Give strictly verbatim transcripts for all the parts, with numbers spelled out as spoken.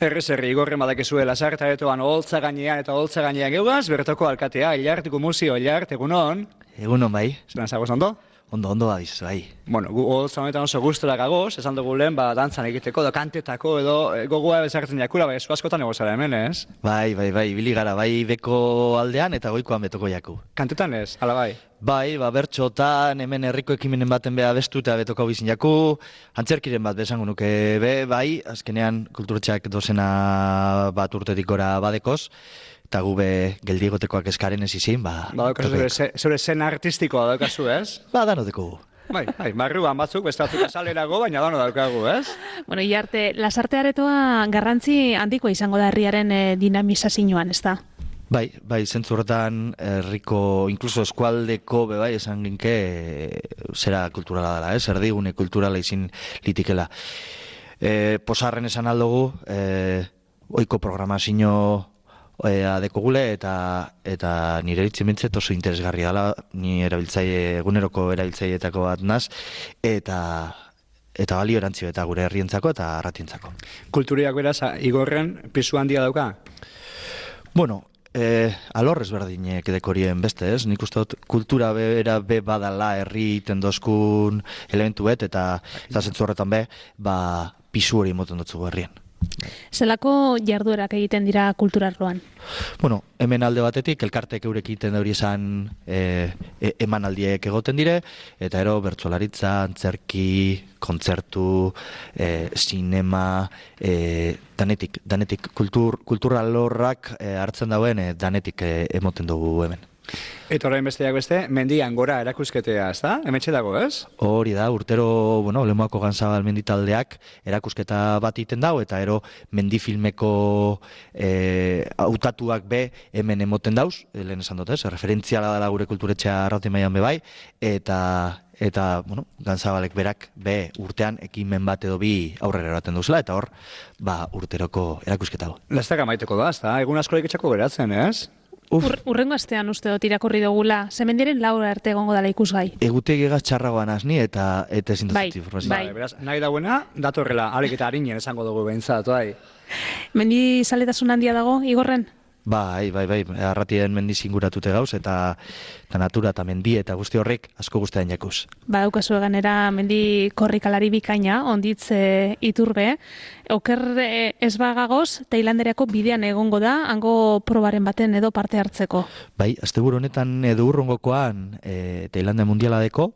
Errez herri igorren badakezue Lasarte-aretoan oholtza gainean eta oholtza gainean geugaz, bertoko alkatea, Ilarteko museo, Ilart, egunon. Egunon bai. Zeran zagoz ondo? Ondo, ondo abiz, bai. Bueno, gu oholtza honetan oso gustora gagoz, esan dugu lehen, ba, dantzan egiteko, edo kantetako, edo e, gogoa bezartzen jakura, bai, esu askotan ego zara hemen, ez? Bai, bai, bai, ibili gara, bai beko aldean eta goikoan betoko jaku. Kantetan ez, hala bai? Bai, ba, bertxotan, hemen herriko ekimenen baten beha bestu eta betoko bizin jaku, antzerkiren bat besango nuke, be, bai, azkenean kulturetxeak dozena bat urtetik gora badekoz, eta gube geldigotekoak eskaren ez izin, ba... Ba, daukazu, zure zen artistikoa daukazu, ez? Ba, danoteko. Bai, bai, barruan batzuk, beste batzuk azalerago, baina dano daukagu, ez? Bueno, Ilarte, Lasarte-aretoa garrantzi handikoa izango da herriaren e, dinamizazioan, ez da? Bai, bai, zentzu horretan herriko, inkluso eskualdeko, be bai, esan ginke, e, zera kulturala dela, ez? Erdigune kulturala izin litikela. E, posarren esan aldugu, e, oiko programazio Ea dekogule eta eta nire eritzen bintzet oso interesgarria dela, ni erabiltzaile eguneroko erabiltzaileetako bat naz, eta eta balio erantzio eta gure herrientzako eta arratientzako. Kulturiak beraz, igorren pisu handia dauka? Bueno, eh, alor ezberdinek dekorien beste, ez? Nik uste dut kultura bera be badala herri tendozkun elementu bet, eta eta zentzu horretan be, ba, pisu hori moten dutzu herrien. Zelako jarduerak egiten dira kulturarloan? Bueno, hemen alde batetik, elkartek eurek egiten dauri esan e, e, emanaldiek egoten dire, eta ero bertsolaritza, antzerki, kontzertu, e, sinema, e, danetik, danetik kultur, kulturalorrak e, hartzen dauen e, danetik e, emoten dugu hemen. Eta orain besteak beste, mendian gora erakusketea, ez da? Hemetxe dago, ez? Hori da, urtero, bueno, Lemoako Ganzabal menditaldeak erakusketa bat iten dau, eta ero mendifilmeko e, hautatuak be hemen emoten dauz, lehen esan dut, ez? Referentziala dela gure kulturetxea arrati mailan be bai, eta eta, bueno, Ganzabalek berak be urtean ekimen bat edo bi aurrera eraten duzela, eta hor, ba, urteroko erakusketa. Lastak amaiteko da, ez da? Egun asko iketxako beratzen, ez? Ur, urrengo astean uste dut irakurri dugula, zemendiren laura arte egongo dela ikusgai. Egutegi egaz txarragoan azni eta eta ezin bai, dut bai. Bai, beraz, nahi dauena, datorrela, alik eta harinen esango dugu behintzat, bai. Mendi zaletasun handia dago, igorren? Bai, bai, bai, arratien mendiz inguratute gauz, eta, eta natura eta mendi eta guzti horrek asko guztean jakuz. Ba, daukazu eganera mendi korrikalari bikaina, onditz e, iturbe, oker e, ez bagagoz, Tailanderako bidean egongo da, hango probaren baten edo parte hartzeko. Bai, asteburu honetan edo urrongokoan e, Tailande mundiala deko,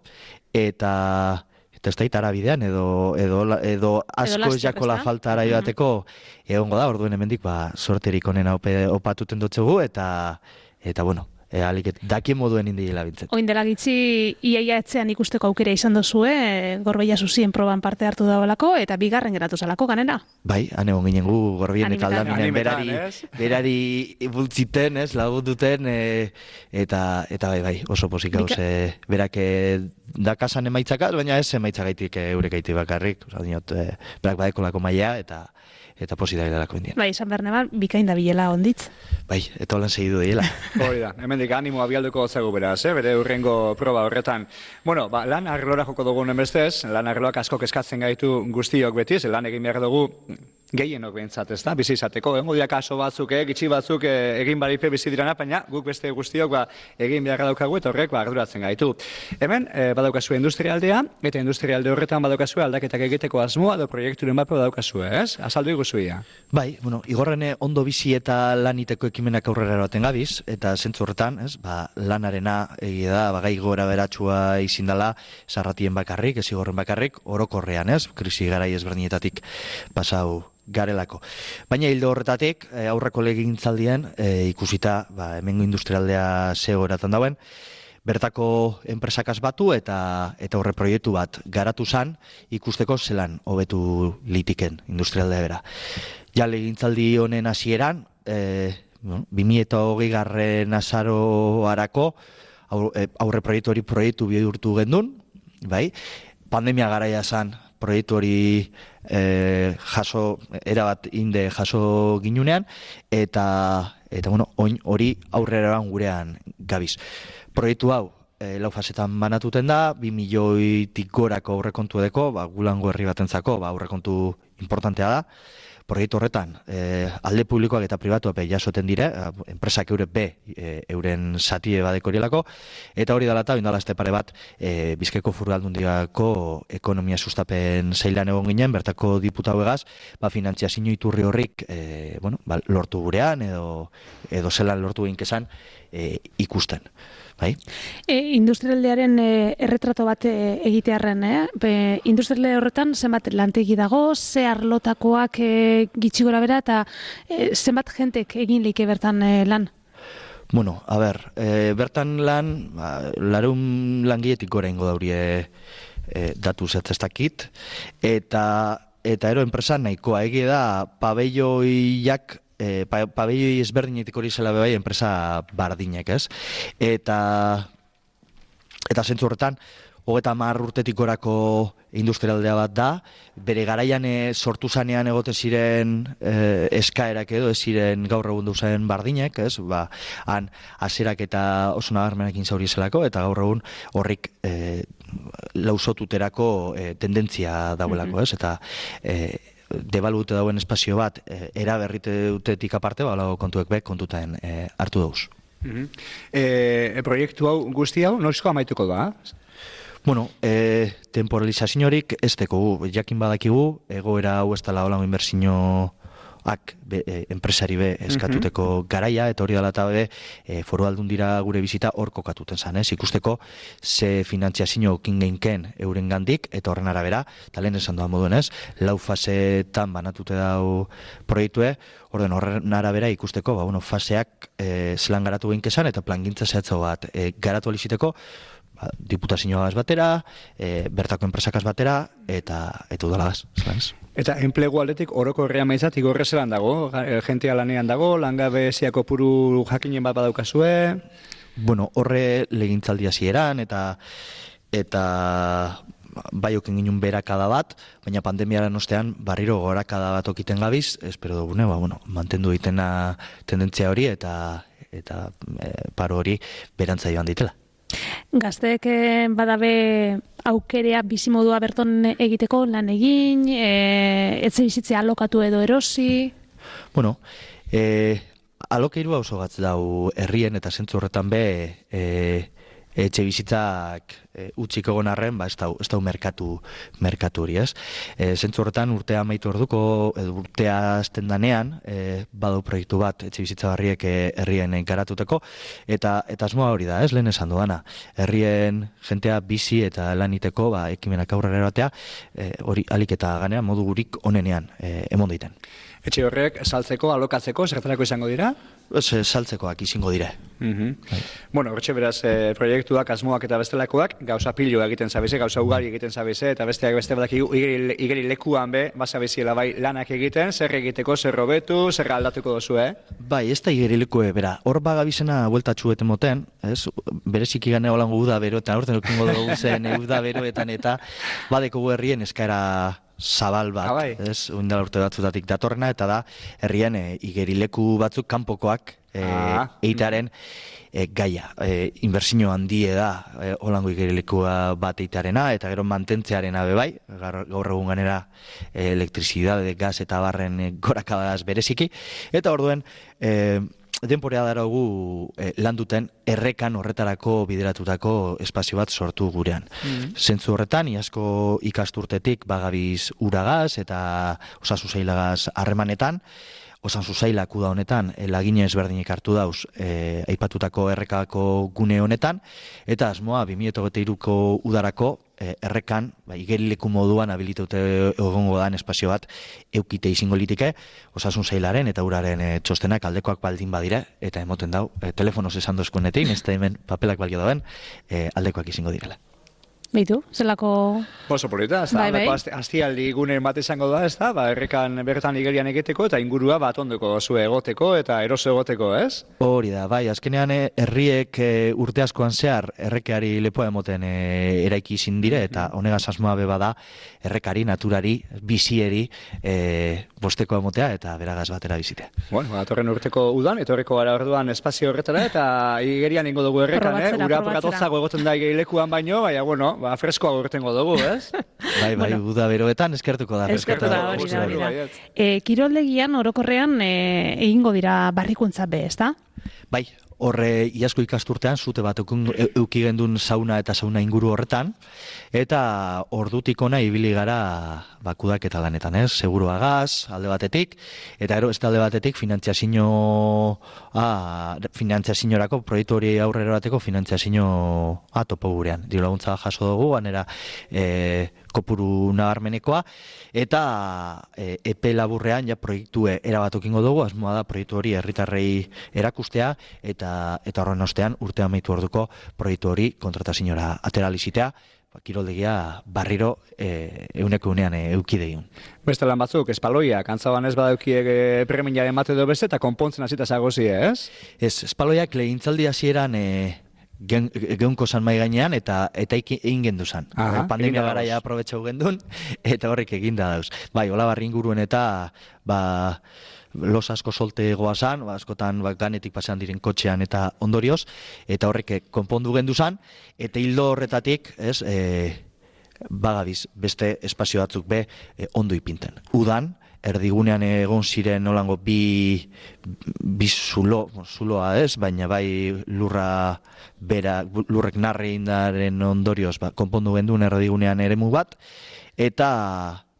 eta... Eta ez da itara bidean, edo, edo, edo asko ez jakola falta arai bateko egongo da, orduen hemendik ba, sorterik onena ope, opatuten dutzugu, eta, eta bueno, e, aliket, dakien moduen indiela bintzet. Oin dela gitzi, iaia etzean ikusteko aukera izan dozue, e, Gorbeia Zuzien proban parte hartu dagoelako, eta bigarren geratu zalako ganera. Bai, han egon ginen gu, Gorbien eta Aldaminen berari, berari bultziten, ez, lagut duten, e, eta, eta bai, bai, oso posik gauz, Bika... e, berak e, dakasan emaitzakaz, baina ez emaitzagaitik e, eurek gaiti bakarrik, oza, dinot, e, berak badekolako maia, eta eta posi da hilako indien. Bai, San Berneban, bikain da bilela onditz. Bai, eta holan segidu diela. Hori da, hemendik animoa bialduko gotzagu beraz, eh? Bere urrengo proba horretan. Bueno, ba, lan arlora joko dugu nemestez, lan arloak asko kezkatzen gaitu guztiok beti, lan egin behar dugu gehienok behintzat, ez da, bizi izateko. Egongo dira kaso batzuk, eh, gitxi batzuk eh, egin baripe bizi dirana, baina guk beste guztiok ba, egin behar daukagu eta horrek ba, arduratzen gaitu. Hemen, eh, badaukazu industrialdea, eta industrialde horretan badaukazu aldaketak egiteko asmoa edo proiekturen bat badaukazu, ez? Azaldu iguzuia. Bai, bueno, igorrene ondo bizi eta laniteko ekimenak aurrera erabaten gabiz, eta zentzu horretan, ez, ba, lanarena egia da, bagai gora beratxua izin dela, sarratien bakarrik, ez igorren bakarrik, orokorrean, ez, krisi garai ezberdinetatik pasau garelako. Baina hildo horretatik, aurreko legintzaldien, e, ikusita, ba, hemengo industrialdea zego eratan dauen, bertako enpresakaz batu eta eta horre proiektu bat garatu zan, ikusteko zelan hobetu litiken industrialdea bera. Ja legintzaldi honen hasieran, e, bueno, bi mila hogei garren azaroarako aurre proiektu hori proiektu bihurtu gendun, bai? Pandemia garaia zan, proiektu hori e, jaso, erabat inde jaso ginunean, eta, eta bueno, oin hori aurrera gurean gabiz. Proiektu hau, e, lau fasetan banatuten da, bi milioitik gorako aurrekontu edeko, ba, gulango herri batentzako, ba, aurrekontu importantea da. proiektu horretan e, alde publikoak eta pribatuak be jasoten dire, enpresak eure be e, euren satie badeko horielako, eta hori dela eta bindala este pare bat e, Bizkaiko Foru Aldundiako ekonomia sustapen zeilan egon ginen, bertako diputatu egaz, ba, finantziazio iturri horrik e, bueno, ba, lortu gurean edo, edo zelan lortu ginkezan e, ikusten. Bai? E, industrialdearen e, erretrato bat e, egitearren, eh? Be, industrialde horretan zenbat lantegi dago, ze arlotakoak e, gitxi gora bera, eta e, zenbat jentek egin leike bertan e, lan? Bueno, a ber, e, bertan lan, ba, larun langiletik gora ingo daurie e, datu zetzestakit, eta, eta ero enpresa nahikoa egie da pabelloiak E, pa, pabelloi ezberdinetik hori zela bebai enpresa bardinek, ez? Eta eta zentzu horretan, hogeta hamar urtetik gorako industrialdea bat da, bere garaian e, sortu zanean egote ziren e, eskaerak edo, ez ziren gaur egun duzen bardinek, ez? Ba, han haserak eta oso nabarmenekin zauri zelako, eta gaur egun horrik e, lausotuterako e, tendentzia dauelako, ez? Eta e, debalute dauen espazio bat e, eraberrite dutetik aparte, balago kontuek be, kontuten e, hartu dauz. Mm-hmm. e, proiektu hau guzti hau, noizko amaituko da? Bueno, e, temporalizaziorik ez teko, jakin badakigu, egoera hau ez dela holango inbertsioak be, e, enpresari be eskatuteko mm-hmm. garaia, eta hori dela eta be, e, Foru Aldundira gure bizita hor kokatuten zan, ez? Ikusteko ze finantziazio okin geinken euren gandik, eta horren arabera, eta lehen esan doan moduen, ez? Lau fasetan banatute dau proiektue, orden horren arabera ikusteko, ba, bueno, faseak e, zelan garatu geinkezan, eta plangintza zehatzo bat e, garatu aliziteko, ba, diputazioagaz batera, e, bertako enpresakaz batera, eta eta udalagaz, zelan ez? Eta enplegu aldetik oroko herria maizat igorre zelan dago? Gentea lanean dago, langabeziako puru jakinen bat badaukazue? Bueno, horre legintzaldia zieran, eta eta bai okin ginen berakada bat, baina pandemiaren ostean barriro gorakada bat okiten gabiz, espero dugune, ba, bueno, mantendu ditena tendentzia hori, eta eta e, paro hori berantza joan ditela. Gazteek badabe aukerea bizimodua berton egiteko lan egin, e, etxe bizitzea alokatu edo erosi? Bueno, e, alokeirua oso gatz dau herrien eta zentzu horretan be e, etxe bizitzak e, utzik egon arren, ba, ez dau, ez dau merkatu, merkatu hori, ez? E, zentzu horretan urtea amaitu orduko, edo urtea azten danean, e, badau proiektu bat etxe bizitza barriek e, herrien garatuteko, eta eta asmoa hori da, ez? Lehen esan duana, herrien jentea bizi eta laniteko, ba, ekimenak aurrera erabatea, e, hori alik eta ganean modu gurik onenean e, emon daiten. Etxe horrek saltzeko, alokatzeko, zertarako izango dira? Ez, saltzekoak izango dire. Mm-hmm. Bueno, hortxe beraz, e, proiektuak, asmoak eta bestelakoak, gauza pilo egiten zabize, gauza ugari egiten zabize, eta besteak beste badak igeri, igeri lekuan be, bazabiziela bai lanak egiten, zer egiteko, zer robetu, zer aldatuko dozu, eh? Bai, ez da igeri lekue, bera, hor bagabizena bueltatxu eten moten, ez, bereziki gane holango uda beroetan, horten okingo dugu zen uda beroetan, eta badeko herrien eskaera zabal bat, ah, bai. ez, uindala urte batzutatik datorrena, eta da, herrian e, igerileku batzuk kanpokoak e, ah. eitaren e, gaia. E, inbertsio handie da, e, holango igerilekua bat eitarena, eta gero mantentzearena bebai, gaur egun ganera e, elektrizidade, gas eta barren e, gorakadaz bereziki, eta orduen, e, denporea daragu eh, lan duten errekan horretarako bideratutako espazio bat sortu gurean. Mm-hmm. Zentzu horretan, iazko ikasturtetik bagabiz uragaz eta osasun sailagaz harremanetan, osasun sailak uda honetan lagine ezberdinek hartu dauz eh, aipatutako errekako gune honetan, eta asmoa bi mila hogeita hiruko udarako E, errekan, ba, igerileku moduan habilitaute egongo dan espazio bat eukite izango litike, osasun sailaren eta uraren e, txostenak aldekoak baldin badire, eta emoten dau, e, telefonoz esan dozkuenetik, ez da hemen papelak balio dauen, e, aldekoak izango direla. Beitu, zelako... Oso polita, ez da, bai, bai. Aztialdi gune bat izango da, ez da, ba, errekan bertan igerian egiteko, eta ingurua bat ondoko zu egoteko, eta eroso egoteko, ez? Hori da, bai, azkenean herriek e, urte askoan zehar errekeari lepoa emoten e, eraiki izin dire, eta honegaz asmoa beba da, errekari, naturari, bizieri, e, bosteko emotea, eta beragaz batera bizitea. Bueno, atorren urteko udan, etorreko gara orduan espazio horretara, eta igerian ingo dugu errekan, eh? Ura apakatotzago egoten da igerilekuan baino, baina, bueno, ba, freskoa urtengo dugu, ez? Bai, bai, bueno, uda beroetan eskertuko da. Eskertuko da, hori da, hori da. Baiet. E, kiroldegian orokorrean e, egingo dira barrikuntza be, ezta? Bai, horre iasko ikasturtean zute bat euki gendun sauna eta sauna inguru horretan, eta ordutik ona ibili gara bakudak eta lanetan, ez? Segurua gaz, alde batetik, eta ero ez alde batetik finantziazio ah, finantziaziorako proiektu hori aurrera bateko finantziazio ah, topo gurean. Diru laguntza jaso dugu, anera e, kopuru nabarmenekoa, eta e, epe laburrean ja proiektue erabatokingo dugu, asmoa da proiektu hori herritarrei erakustea, eta eta horren ostean urte amaitu orduko proiektu hori kontrataziora ateralizitea, kiroldegia barriro e, euneko unean e, eukideiun. Beste lan batzuk, espaloiak, antzaban ez badaukiek e, preminjaren mate edo beste, eta konpontzen hasita zagozie, ez? Ez, espaloiak legintzaldi hasieran e, Gen, geunko zan mai gainean eta eta egin gendu zan. Aha, pandemia garaia aprobetxau gendun eta horrek eginda dauz. Bai, hola barri inguruen eta ba, los asko solte goazan, ba, askotan ba, ganetik pasean diren kotxean eta ondorioz, eta horrek konpondu gendu zan, eta hildo horretatik, ez, e, bagabiz, beste espazio batzuk be e, ondo ipinten. Udan, erdigunean egon ziren nolango bi, bi zulo, zuloa ez, baina bai lurra bera, lurrek narri indaren ondorioz, ba, konpondu genduen erdigunean eremu bat, eta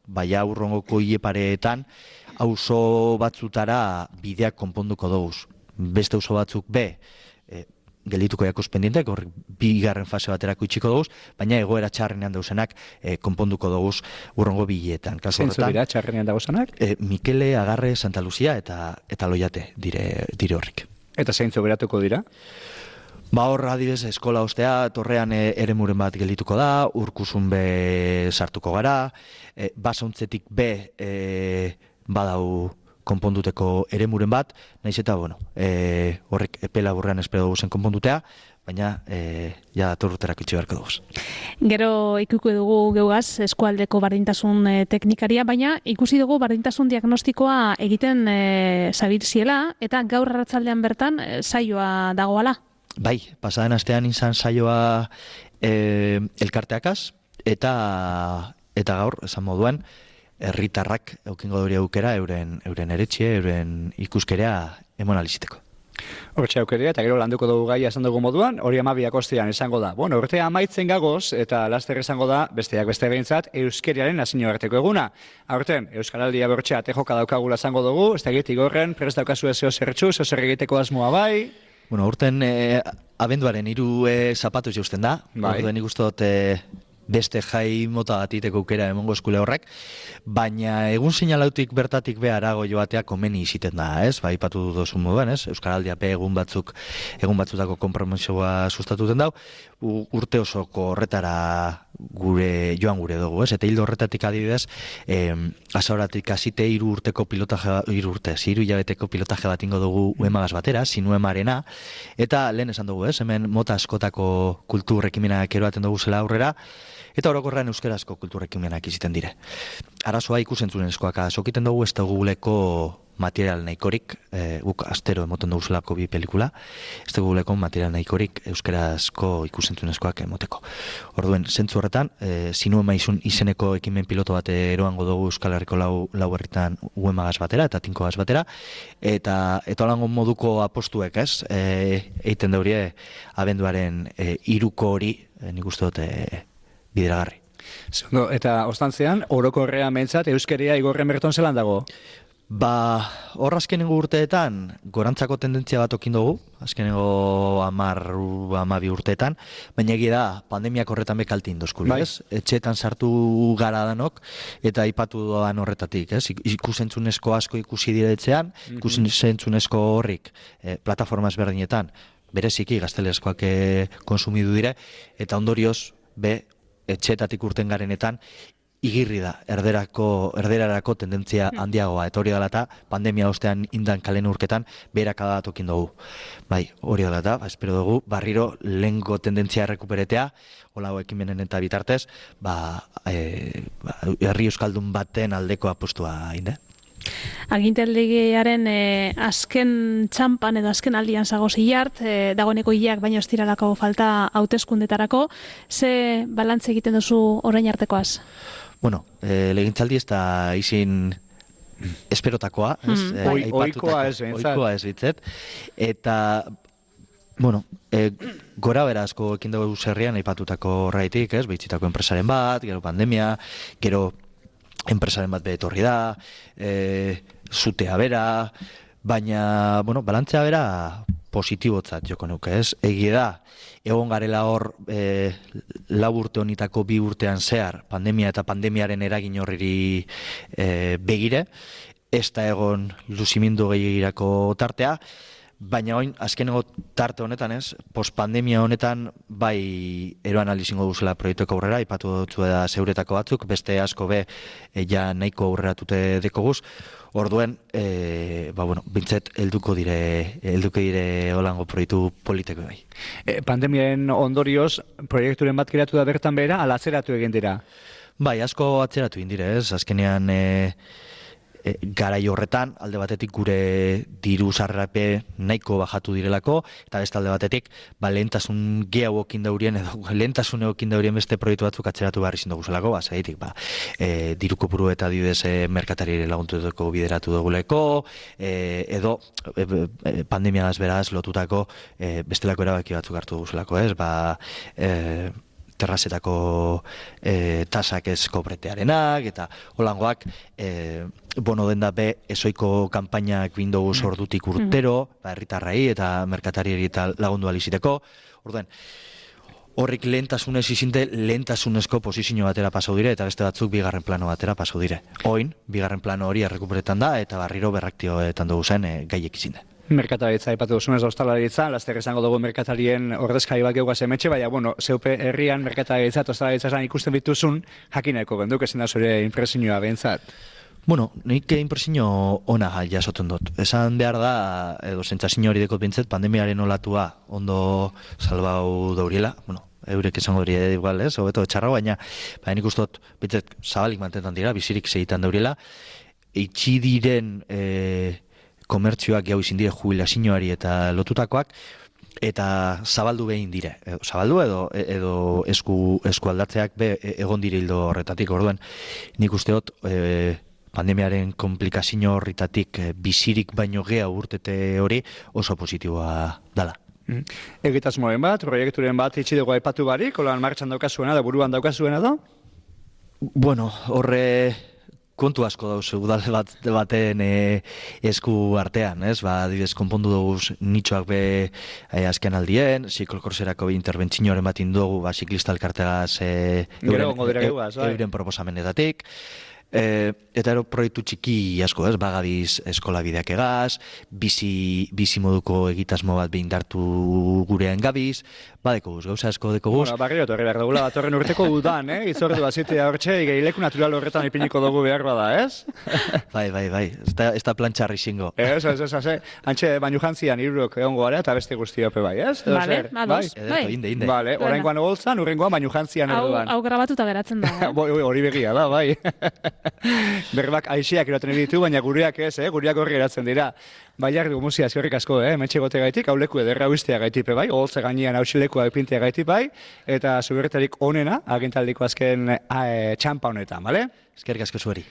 bai aurrongoko hilepareetan auzo batzutara bideak konponduko doguz. Beste auzo batzuk be, e, geldituko jakuz pendientek, horrek bigarren fase baterako itxiko doguz, baina egoera txarrenean dauzenak e, konponduko doguz urrongo bileetan. Zeintzu dira txarrenean dauzenak? E, Mikele, Agarre, Santa Lucia eta eta Loiate dire, dire horrek. Eta zeintzu beratuko dira? Ba hor, adibez, eskola ostea, torrean e, eremuren bat geldituko da, urkusun be sartuko gara, e, basauntzetik be e, badau konponduteko eremuren bat, naiz eta, bueno, e, horrek epe laburrean espero dugu zen konpondutea, baina e, ja datorruterak itxi beharko dugu. Gero ikuiko dugu geugaz eskualdeko bardintasun e, teknikaria, baina ikusi dugu bardintasun diagnostikoa egiten e, zabiltziela, eta gaur arratsaldean bertan e, saioa dagoala. Bai, pasaden astean izan saioa e, elkarteakaz, eta, eta gaur, esan moduan, herritarrak eukingo duri aukera euren euren eretxe, euren ikuskerea emon aliziteko. Hortxe aukerea, eta gero landuko dugu gaia esan dugu moduan, hori amabiak ostean esango da. Bueno, urtea amaitzen gagoz, eta laster esango da, besteak beste behintzat, euskeriaren nazio arteko eguna. Aurten, Euskaraldia bortxea tejoka daukagula esango dugu, ez da egitik horren, prest daukazu ezeo zertxu, zeo zer egiteko asmoa bai. Bueno, urten e, abenduaren hiru e, zapatuz jausten da, bai. Orduen ikustot e, beste jai mota batiteko aukera emongo eskule horrek, baina egun seinalautik bertatik be arago joatea komeni iziten da, ez? Ba, ipatu duzu moduan, ez? Euskaraldia be egun batzuk, egun batzutako konpromisoa sustatuten dau, urte osoko horretara gure joan gure dugu, ez? Eta hildo horretatik adibidez, eh, asauratik hasite hiru urteko pilotaje, hiru urte, hiru hilabeteko pilotaje bat ingo dugu uemagaz batera, sinuemarena, eta lehen esan dugu, ez? Hemen mota askotako kultur ekimenak eroaten dugu zela aurrera, eta orokorrean euskarazko kultur ekimenak iziten dire. Arazoa ikusentzunezkoak azokiten dugu ez duguleko material nahikorik, e, guk astero emoten dugu zelako bi pelikula, ez duguleko material nahikorik euskarazko ikusentzunezkoak emoteko. Orduen, zentzu horretan, e, zinu emaizun izeneko ekimen piloto bat eroango dugu Euskal Herriko lau, lau herritan uemagaz batera eta tinkogaz batera, eta eta holango moduko apostuek, ez, e, eiten daurie abenduaren e, iruko hori, e, nik uste dut, e, bideragarri. Zondo, eta ostantzean, orokorrea mentzat euskeria igorren berton zelan dago? Ba, hor azkenengo urteetan gorantzako tendentzia bat okin dugu, azkenengo amar, amabi urteetan, baina egia da, pandemiak horretan bekalti indozkuri, bai. Ez? Etxetan sartu gara danok, eta ipatu doan horretatik, ez? Ikusentzunezko asko ikusi diretzean, mm-hmm. ikusentzunezko horrik, eh, plataforma ezberdinetan, bereziki gaztelezkoak eh, konsumidu dire, eta ondorioz, be, etxetatik urten garenetan, igirri da, erderako, erderarako tendentzia handiagoa, eta hori dela eta pandemia ostean indan kalen urketan beheraka tokin dugu. Bai, hori dela eta, ba, espero dugu, barriro lehengo tendentzia errekuperetea, holago ekimenen eta bitartez, ba, e, ba, herri euskaldun baten aldeko apostua inde. Agintaldiaren e, azken txampan edo azken aldian zago zilart, e, dagoeneko hilak baino estiralako falta hauteskundetarako, ze balantze egiten duzu orain artekoaz? Bueno, e, legintzaldi ez da izin esperotakoa, ez? Mm, E, bai. aipatutako- Ohikoa ez behintzat. ohikoa ez bitzet. Eta, bueno, e, gora bera asko ekin dugu zerrian aipatutako horreitik, ez? Behitzitako enpresaren bat, gero pandemia, gero enpresaren bat betorri da, e, zutea bera, baina, bueno, balantzea bera positibotzat joko nuke, ez? Egia da, egon garela hor e, lau urte honitako bi urtean zehar, pandemia eta pandemiaren eragin horriri e, begire, ez da egon luzimindu gehiagirako tartea, baina oin, azkeneko tarte honetan ez, postpandemia honetan bai eroan alizingo duzela proiektueko aurrera, ipatu dutzu da zeuretako batzuk, beste asko be e, ja nahiko aurreratute dekoguz, orduen, e, ba bueno, bintzet helduko dire, helduko dire holango proiektu politiko bai. E, pandemiaren ondorioz, proiekturen bat kreatu da bertan behera, ala atzeratu egin dira. Bai, asko atzeratu indire, ez? Azkenean e, e, garai horretan, alde batetik gure diru sarrape nahiko bajatu direlako, eta beste alde batetik, ba, lehentasun gehiago okin daurien, edo lehentasun okin daurien beste proiektu batzuk atzeratu behar izin duguzelako, ba, zaitik, ba, e, diru kopuru eta didez e, merkatarire laguntutako bideratu duguleko, e, edo e, e, pandemiagaz beraz lotutako e, bestelako erabaki batzuk hartu duguzelako, ez? Ba, e, terrazetako e, tasak ez kobretearenak, eta holangoak e, bono den da be ezoiko kanpainak Windows ordutik urtero, ba, herritarrei eta merkatarieri eta lagundu aliziteko. Orduen, horrik lehentasunez izinte, lehentasunezko posizio batera pasau dire, eta beste batzuk bigarren plano batera pasau dire. Oin, bigarren plano hori errekuperetan da, eta barriro berraktioetan dugu zen e, gaiek izinde. Merkataritza aipatu duzunez da ostalaritza, laster esango dugu merkatarien ordezkari bat geugaz emetxe, baina, bueno, zeupe herrian merkataritza eta ostalaritza esan ikusten bituzun, jakineko genduk ezin da zure impresioa behintzat. Bueno, nik impresio ona jasoten dut. Esan behar da, edo sentsazio hori dekot bintzet, pandemiaren olatua ondo salbau dauriela, bueno, eurek esango duri igual, ez, hobeto etxarra, baina, baina nik ustot, bintzet, zabalik mantentan dira, bizirik segitan dauriela, eitxi diren e, komertzioak jau izin dire jubilazioari eta lotutakoak, eta zabaldu behin dire. Edo, zabaldu edo edo esku, esku aldatzeak be egon dire hildo horretatik, orduan, nik usteot, e, pandemiaren komplikazio horretatik e, bizirik baino gea urtete hori oso positiboa dala. Mm. Egitasmoen bat, proiekturen bat itxi dugu aipatu barik, holan martxan daukazuena da, buruan daukazuena da? Bueno, horre kontu asko dauze udal bat baten e, esku artean, ez? Ba, adibidez, konpondu dugu nitxoak be e, azken aldien, ziklokorserako be interbentzioaren bat indugu, ba, ziklista elkartegaz e, Gero gongo dira gehuaz, bai. euren proposamenetatik. E, eta ero proiektu txiki asko, ez? Bagabiz eskola bideak egaz, bizi, bizi moduko egitasmo bat behindartu gurean gabiz, badeko guz, gauza asko deko guz. Bueno, barrio torri behar dugula, datorren urteko udan, eh? Itzordu bazitea hortxe, gehileku natural horretan ipiniko dugu behar bada, ez? Bai, bai, bai, ez da, ez da plantxarri xingo. Ez, ez, ez, ez, antxe baino jantzian irurok egongo gara eta beste guztiope bai, ez? Edo Vale, zer? ados. Bai? Ederto, inde, inde. Vale, oraingoan goltzan, urrengoan baino jantzian Hau, erduan. hau grabatuta geratzen da. Eh? Bo- Hori begia da, bai. Berbak aixiak eroten ditu, baina gureak ez, eh? Gureak horri eratzen dira. Baiak dugu muzia eskerrik asko, eh? Metxe gote gaitik, hau leku ederra uiztea gaitipe bai, oholtze gainean hausilekua epintea gaitip bai, eta zubertarik onena, agintaldiko azken eh, txampa honetan, bale? Eskerrik asko zueri.